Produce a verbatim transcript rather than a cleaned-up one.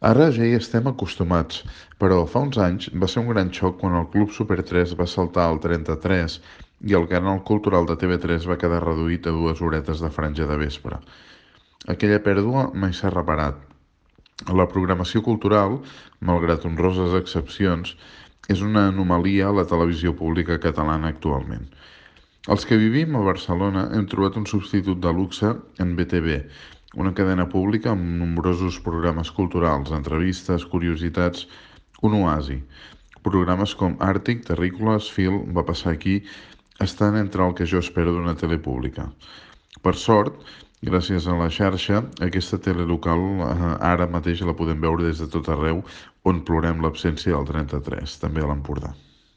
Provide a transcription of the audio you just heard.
Ara ja hi estem acostumats, però fa uns anys va ser un gran xoc quan el Club Super tres va saltar al trenta-tres i el canal cultural de T V tres va quedar reduït a dues horetes de franja de vespre. Aquella pèrdua mai s'ha reparat. La programació cultural, malgrat honroses excepcions, és una anomalia a la televisió pública catalana actualment. Els que vivim a Barcelona hem trobat un substitut de luxe en B T V, una cadena pública amb nombrosos programes culturals, entrevistes, curiositats, un oasi. Programes com Àrtic, Terrícoles, Fil, Va passar aquí, estan entre el que jo espero d'una tele pública. Per sort, gràcies a la xarxa, aquesta tele local eh, ara mateix la podem veure des de tot arreu on plorem l'absència del trenta-tres, també a l'Empordà.